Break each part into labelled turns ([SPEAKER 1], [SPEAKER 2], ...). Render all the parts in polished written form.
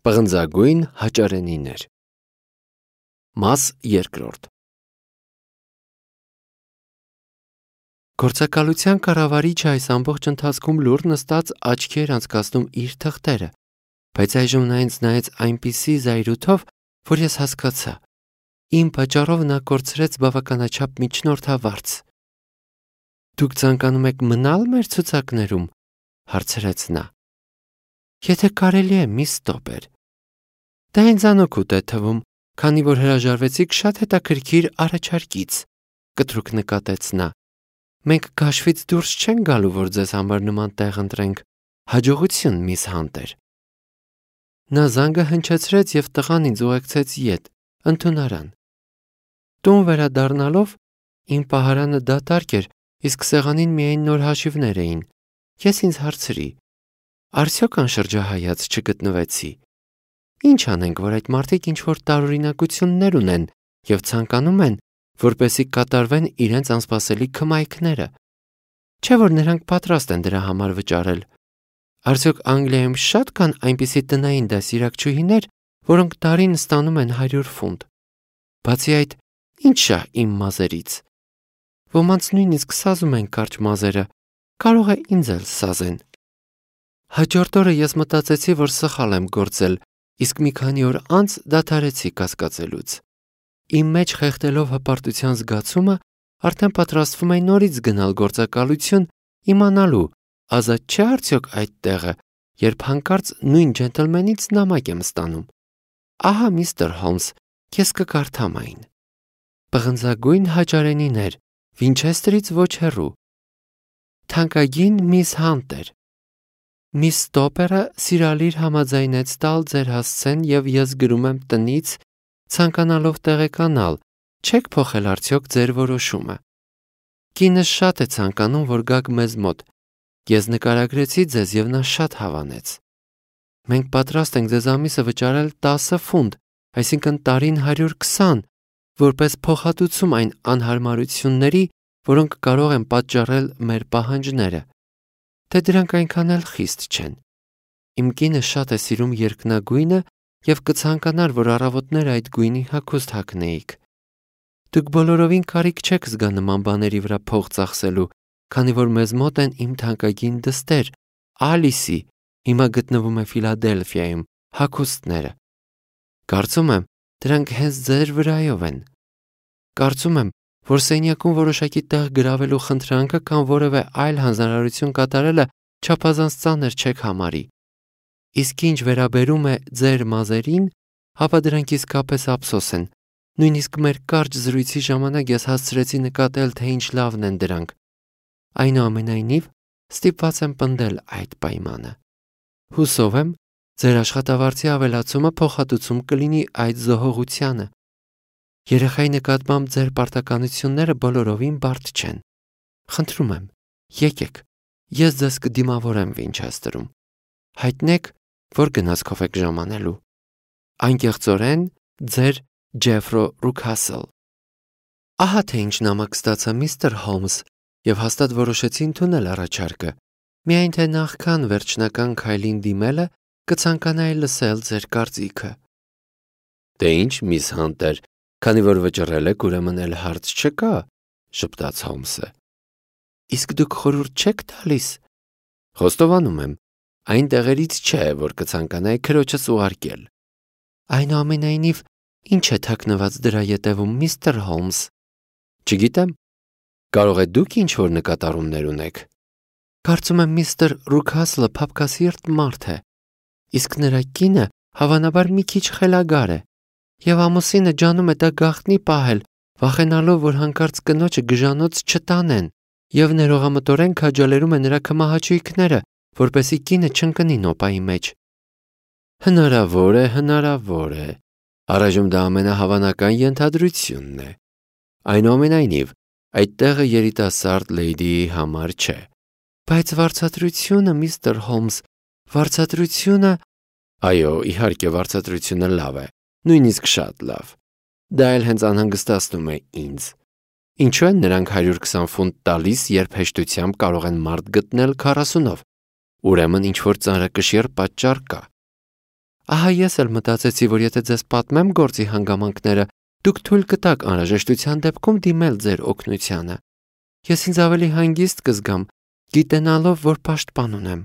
[SPEAKER 1] Պղնձագույն հաճարենիներ։ Մաս երկրորդ։ Գործակալության կառավարիչը այս ամբողջ ընթացքում լուռ նստած աչքի էր անցկացնում իր թղթերը, բայց այժմ նա ինձ նայեց այնպիսի զայրույթով, որ ես հասկացա. իմ պատճառով նա կորցրեց բավականաչափ միջնորդավարձ։ Դուք ցանկանում եք մնալ մեր ցուցակներում, հարցրեց նա։ Եթե կարելի է, միս Ստոպեր։ Դա ինձ անօգուտ է թվում, քանի որ հրաժարվեցիք շատ հետաքրքիր առաջարկից, կտրուկ նկատեց նա։ Մենք գաշվից դուրս չենք գալու, որ ձեզ համար նման տեղ ընտրենք։ Հաջողություն, միս Հանտեր։ Նա զանգը հնչեցրեց և տղան ինձ ուղեկցեց ետ, ընդունարան։ Տուն վերադառնալով իմ պահարանը դատարկ էր, իսկ սեղանին միայն նոր հաշիվներ էին։ Ես ինձ հարցրի. Արդյոք անշրջահայաց չգտնվեցի։ Ինչ անենք, որ այդ մարդիկ ինչ-որ տարօրինակություններ ունեն և ցանկանում են, որպեսզի կատարվեն իրենց անսպասելի քմայքները։ Չէ՞ որ նրանք պատրաստ են դրա համար վճարել։ Արդյոք Անգլիայում շատ կան այնպիսի տնային դասիրակչուհիներ, որոնք տարին ստանում են 100 ֆունտ։ Բացի այդ, ինչ շա իմ մազերից։ Ոմանց նույնիսկ սազում են կարճ մազերը, կարող է ինձ էլ սազեն։ Հաջորդ օրը ես մտածեցի, որ սխալ եմ գործել, իսկ մի քանի օր անց դադարեցի կասկածելուց։ Իմ մեջ խեղդելով հպարտության զգացումը, արդեն պատրաստվում էի նորից գնալ գործակալություն, իմանալու, ազատ չէ արդյոք այդ տեղը, երբ հանկարծ նույն ջենտլմենից նամակ եմ ստանում։ Ահա, միստր Հոլմս, ես կկարդամ այն։ Պղնձագույն հաճարենիներ, Վինչեստրից ոչ հեռու։ Թանկագին միս Հանտեր։ Միս Ստոպերը սիրալիր համաձայնեց տալ ձեր հասցեն և ես գրում եմ տնից, ցանկանալով տեղեկանալ, չեք փոխել արդյոք ձեր որոշումը։ Կինս շատ է ցանկանում, որ գաք մեզ մոտ։ Ես նկարագրեցի ձեզ և նա շատ հավանեց։ Մենք պատրաստ ենք ձեզ ամիսը վճարել 10 ֆունտ, այսինքն տարին 120, որպես փոխհատուցում այն անհարմարությունների, որոնք կարող են պատճառել մեր պահանջները։ Թե դրանք այնքան էլ խիստ չեն։ Իմ կինը շատ է սիրում երկնագույնը և կցանկանար, որ առավոտները այդ գույնի հագուստ հագնեիք։ Դուք բոլորովին կարիք չեք զգա նման բաների վրա փող ծախսելու, քանի որ մեզ մոտ են իմ թանկագին դստեր, Ալիսի, հիմա գտնվում է Ֆիլադելֆիայում, հագուստները։ Կարծում եմ, դրանք հենց ձեր վրայով են։ Կարծում եմ, որ սենյակում որոշակի տեղ գրավելու խնդրանքը կամ որևէ այլ հանձնարարություն կատարելը չափազանց ծանր չեք համարի։ Իսկ ինչ վերաբերում է ձեր մազերին, ապա դրանք իսկապես ափսոս են։ Նույնիսկ մեր կարճ զրույցի ժամանակ ես հասցրեցի նկատել, թե ինչ լավն են դրանք։ Այնուամենայնիվ, ստիպված եմ պնդել այդ պայմանը։ Հուսով եմ, ձեր աշխատավարձի ավելացումը փոխհատուցում կլինի այդ զոհողությանը։ Երեխայի նկատմամբ ձեր պարտականությունները բոլորովին բարդ չեն։ Խնդրում եմ, եկեք, ես ձեզ կդիմավորեմ Վինչեստրում։ Հայտնեք, որ գնացքով եք ժամանելու։ Անկեղծորեն, ձեր Ջեֆրո Ռուքասլ։ Ահա թե ինչ նամակ ստացա, միստր Հոլմս, և հաստատ որոշեցի ընդունել առաջարկը։ Միայն թե նախքան վերջնական քայլին դիմելը կցանկանայի լսել ձեր կարծիքը։ Դե ինչ, միս Հանտեր, քանի որ վճռել եք, ուրեմն էլ հարց չկա, ժպտաց Հոլմսը։ Իսկ դուք խորհուրդ չեք տալիս։ Խոստովանում եմ, այն տեղերից չէ, որ կցանկանայի քրոջս ուղարկել։ Այնուամենայնիվ, ինչ է թաքնված դրա ետևում, միստր Հոլմս։ Չգիտեմ, կարող է դուք ինչ-որ նկատառումներ ունեք։ Կարծում եմ միստր Ռուքասլը փափկասիրտ մարդ է, իսկ նրա կինը հավանաբար մի քիչ խելագար է, և ամուսինը ջանում է դա գաղտնի պահել, վախենալով, որ հանկարծ կնոջը գժանոց չտանեն, և ներողամտորեն քաջալերում է նրա քմահաճույքները, որպեսզի կինը չընկնի նոպայի մեջ։ Հնարավոր է։ Առայժմ դա ամենահավանական ենթադրությունն է։ Այնուամենայնիվ, այդ տեղը երիտասարդ լեյդիի համար չէ։ Բայց վարձատրությունը, միստր Հոլմս, վարձատրությունը… Այո, իհարկե, վարձատրությունը լավ է, նույնիսկ շատ լավ։ Դա էլ հենց անհանգստացնում է ինձ։ Ինչու են նրանք 120 ֆունտ տալիս, երբ հեշտությամբ կարող են մարդ գտնել 40-ով։ Ուրեմն ինչ-որ ծանրակշիռ պատճառ կա։ Ահա ես էլ մտածեցի, որ եթե ձեզ պատմեմ գործի հանգամանքները, դուք թույլ կտաք անհրաժեշտության դեպքում դիմել ձեր օգնությանը։ Ես ինձ ավելի հանգիստ կզգամ, գիտենալով, որ պաշտպան ունեմ։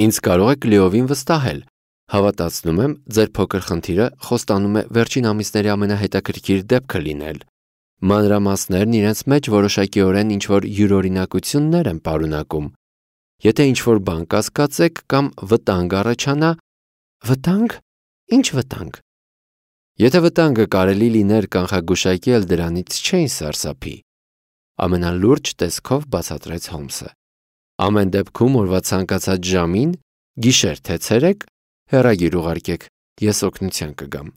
[SPEAKER 1] Ինձ կարող եք լիովին վստահել։ Հավատացնում եմ, ձեր փոքր խնդիրը խոստանում է վերջին ամիսների ամենահետաքրքիր դեպքը լինել։ Մանրամասներն իրենց մեջ որոշակիորեն ինչ-որ յուրօրինակություններ են պարունակում։ Եթե ինչ-որ բան կասկածեք կամ վտանգ առաջանա, վտանգ? Ինչ վտանգ? Եթե վտանգը կարելի լիներ կանխագուշակել, դրանից չէին սարսափի։ Ամենալուրջ տեսքով բացատրեց Հոլմսը։ Ամեն դեպքում օրվա ցանկացած ժամին, գիշեր թե ցերեկ, հեռագիր ուղարկեք, ես օգնության կգամ։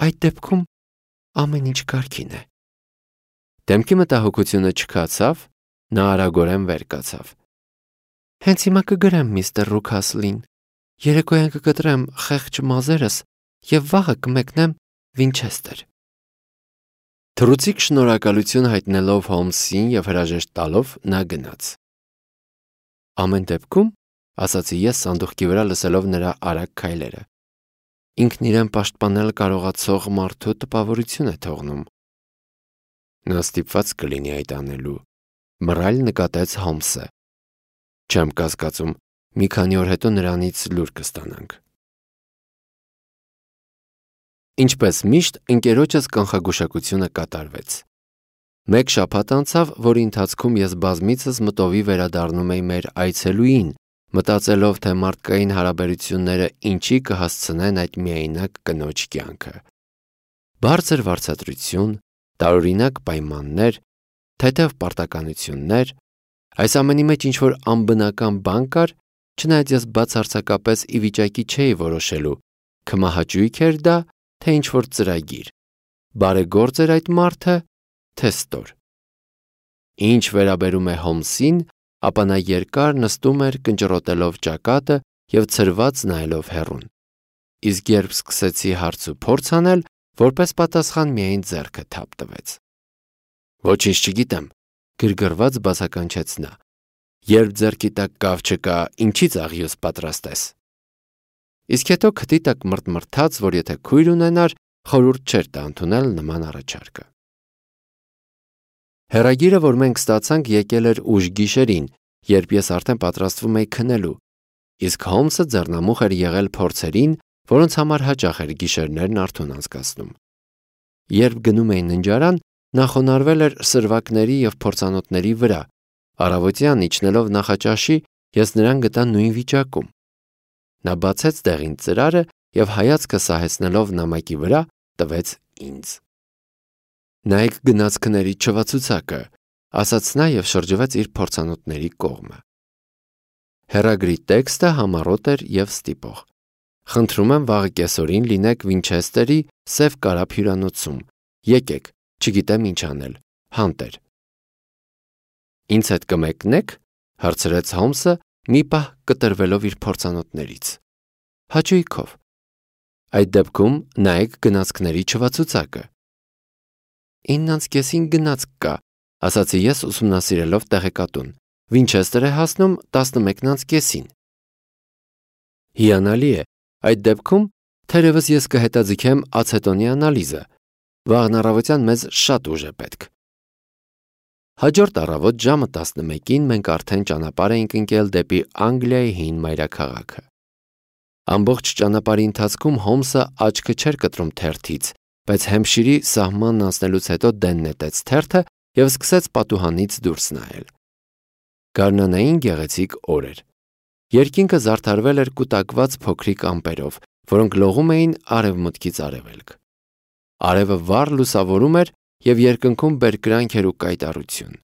[SPEAKER 1] Այդ դեպքում ամեն ինչ կարգին է։ Դեմքի մտահոգությունը չքացավ, նա արագորեն վեր կացավ։ Հենց հիմա կգրեմ միստր Ռուքասլին, երեկոյան կկտրեմ խեղճ մազերս և վաղը կմեկնեմ Վինչեսթեր։ Թռուցիկ շնորհակալություն հայտնելով Հոլմսին և հրաժեշտ տալով նա գնաց։ Ամեն դեպքում, ասացի ես սանդուղքի վրա լսելով նրա արագ քայլերը, ինքն իրեն պաշտպանել կարողացող մարդու տպավորություն է թողնում։ Նա ստիպված կլինի այդ անելու, մռայլ նկատեց Հոլմսը։ Չեմ կասկածում, մի քանի օր հետո նրանից լուր կստանանք։ Ինչպես միշտ, ընկերոջս կանխագուշակությունը կատարվեց։ Մեկ շաբաթ անցավ, որի ընթացքում ես բազմիցս մտովի վերադառնում էի մեր այցելուին, մտածելով, թե մարդկային հարաբերությունները ինչի կհասցնեն այդ միայնակ կնոջ կյանքը։ Բարձր վարձատրություն, տարօրինակ պայմաններ, թեթև պարտականություններ, այս ամենի մեջ ինչ-որ անբնական բան կար, չնայած ես բացարձակապես ի վիճակի չէի որոշելու, քմահաճույք էր դա, թե ինչ-որ ծրագիր, բարեգործ էր այդ մարդը, թե ստոր։ Ինչ վերաբերում է Հոլմսին, ապա նա երկար նստում էր կնճռոտելով ճակատը և ցրված նայելով հեռուն։ Իսկ երբ սկսեցի հարց ու փորձ անել, որպես պատասխան միայն ձեռքը թափ տվեց։ Ոչինչ չգիտեմ, գրգռված բացականչեց նա։ Երբ ձեռքի տակ կավ չկա, ինչի՞ց աղյուս պատրաստես։ Իսկ հետո քթի տակ մռթմռթաց, որ եթե քույր ունենար, խորհուրդ չէր տա ընդունել նման առաջարկը։ Հեռագիրը, որ մենք ստացանք, եկել էր ուշ գիշերին, երբ ես արդեն պատրաստվում էի քնելու, իսկ Հոլմսը ձեռնամուխ էր եղել փորձերին, որոնց համար հաճախ էր գիշերներն արթուն անցկացնում։ Երբ գնում էի ննջարան, նա խոնարհվել էր սրվակների և փորձանոթների վրա։ Առավոտյան իջնելով նախաճաշի, ես նրան գտա նույն վիճակում։ Նա բացեց դեղին ծրարը և հայացքը սահեցնելով նամակի վրա, տվեց ինձ։ Նայեք գնացքների չվացուցակը, ասաց նա և շրջվեց իր փորձանոթների կողմը։ Հեռագրի տեքստը համառոտ էր և ստիպող։ Խնդրում եմ վաղը կեսօրին լինեք Վինչեսթերի սև կարապ հյուրանոցում։ Եկեք, չգիտեմ ինչ անել, հանտեր։ Ինձ հետ կմեկնեք, հարցրեց Հոլմսը, մի պահ կտրվելով իր փորձանոթներից։ Հաճույքով։ Այդ դեպքում նայեք գնացքների չվացուցակը։ 9:30 գնացք կա, ասացի ես ուսումնասիրելով տեղեկատուն։ Վինչեսթեր է հասնում 11:30։ Հիանալի է, այդ դեպքում թերևս ես կհետաձգեմ ացետոնի անալիզը։ Վաղն առավոտյան մեզ շատ ուժ է պետք։ Հաջորդ առավոտ ժամը 11-ին մենք արդեն ճանապարհ էինք ընկել դեպի Անգլիայի հին մայրաքաղաքը։ Ամբողջ ճանապարհի ընթացքում Հոլմսը աչքը չէր կտրում թերթից, բայց Հեմփշիրի սահմանն անցնելուց հետո դեն նետեց թերթը և սկսեց պատուհանից դուրս նայել։ Գարնանային գեղեցիկ օր էր։ Երկինքը զարդարվել էր կուտակված փոքրիկ ամպերով, որոնք լողում էին արևմուտքից արևելք։ Արևը վառ լուսավորում էր և երկնքում բերկրանք էր ու կայտառություն։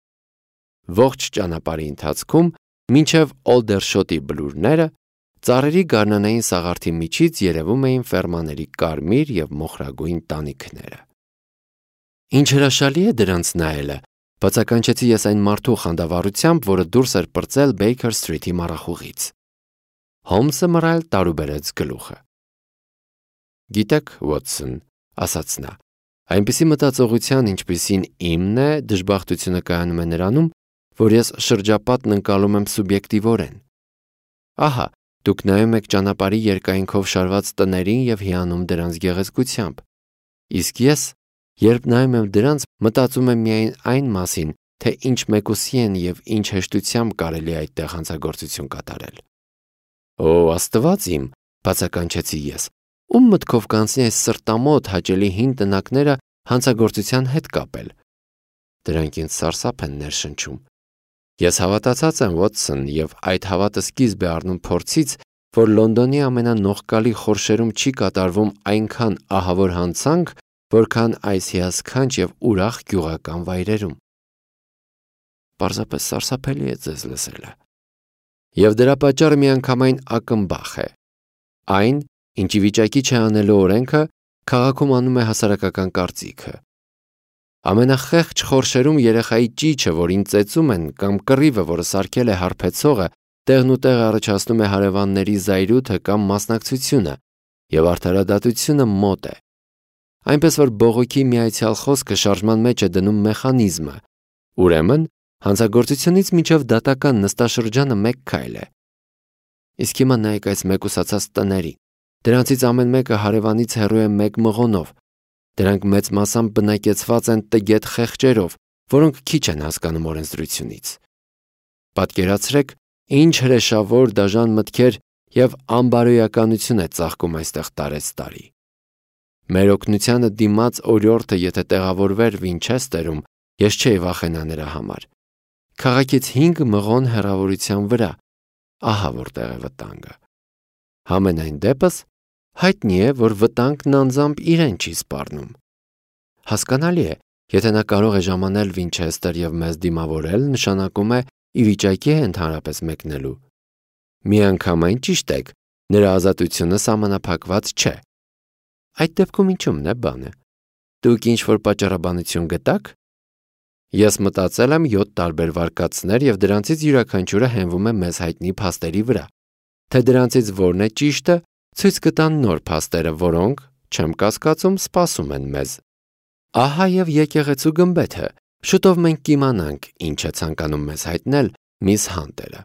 [SPEAKER 1] Ողջ ճանապարհի ընթացքում, մինչև Օլդերշոտի բլուրները, ծառերի գարնանային սաղարթի միջից երևում էին ֆերմաների կարմիր և մոխրագույն տանիքները։ Ինչ հրաշալի է դրանց նայելը, բացականչեցի ես այն մարդու խանդավառությամբ, որը դուրս էր պրծել Բեյքեր Սթրիթի մառախուղից։ Հոլմսը մռայլ տարուբերեց գլուխը։ Գիտեք, Ուոտսոն, ասաց նա, այնպիսի մտածողության, ինչպիսին իմն է, դժբախտությունը կայանում է նրանում, որ ես շրջապատն ընկալում եմ սուբյեկտիվորեն։ Ահա, Դուք նայում եք ճանապարհի երկայնքով շարված տներին եւ հիանում դրանց գեղեցկությամբ։ Իսկ ես, երբ նայում եմ դրանց, մտածում եմ միայն այն մասին, թե ինչ մեկուսի են եւ ինչ հեշտությամբ կարելի է այդտեղ հանցագործություն կատարել։ Օ, Աստված իմ, բացականչեցի ես, ում մտքով կանցնի այս սրտամոտ հաճելի հին տնակները հանցագործության հետ կապել։ Դրանք ինձ սարսափ են ներշնչում։ Ես հավատացած եմ, Վոթսոն, եւ այդ հավատը սկիզբ է առնում փորձից, որ Լոնդոնի ամենանողկալի խորշերում չի կատարվում այնքան ահավոր հանցանք, որքան այս հիասքանչ եւ ուրախ գյուղական վայրերում։ Պարզապես սարսափելի է ձեզ լսելը։ Եվ դրա պատճառը միանգամայն ակնբախ է։ Այն, ինչի վիճակի չէ անելու օրենքը, քաղաքում անում է հասարակական կարծիքը։ Ամենախեղճ խորշերում երեխայի ճիչը, որին ծեծում են, կամ կռիվը, որը սարքել է հարբեցողը, տեղն ու տեղ առաջացնում է հարևանների զայրույթը կամ մասնակցությունը, եւ արդարադատությունը մոտ է։ Այնպես որ բողոքի միացյալ խոսքը շարժման մեջ է դնում մեխանիզմը։ Ուրեմն, հանցագործությունից մինչև դատական նստաշրջանը մեկ քայլ է։ Իսկ հիմա նայեք այս մեկուսացած տներին։ Դրանցից ամեն մեկը հարևանից հեռու է մեկ մղոնով։ Դրանք մեծ մասամբ բնակեցված են տգետ խեղճերով, որոնք քիչ են հասկանում օրենսդրությունից։ Պատկերացրեք, ինչ հրեշավոր դաժան մտքեր եւ անբարոյականություն է ծաղկում այստեղ տարեցտարի։ Մեր օգնությանը դիմաց օրիորդը, եթե տեղավորվեր Վինչեսթերում, ես չէի վախենա նրա համար։ Քաղաքից 5 մղոն հեռավորության վրա, ահա որտեղ է վտանգը։ Համենայն դեպս, հայտնի է, որ վտանգն անձամբ իրեն չի սպառնում։ Հասկանալի է, եթե նա կարող է ժամանել Վինչեսթեր եւ մեզ դիմավորել, նշանակում է ի վիճակի է ընդհանրապես մեկնելու։ Միանգամայն ճիշտ եք, նրա ազատությունը սահմանափակված չէ։ Այդ դեպքում ինչու՞մն է բանը։ Դուք ինչ-որ պատճառաբանություն գտաք։ Ես մտածել եմ 7 տարբեր վարկածներ եւ դրանցից յուրաքանչյուրը հենվում է մեզ հայտնի փաստերի վրա։ Թե դրանցից որն է ճիշտը, ցույց կտան նոր փաստերը, որոնք, չեմ կասկածում, սպասում են մեզ։ Ահա եւ եկեղեցու գմբեթը։ Շուտով մենք կիմանանք, ինչ է ցանկանում մեզ հայտնել միս Հանտերը։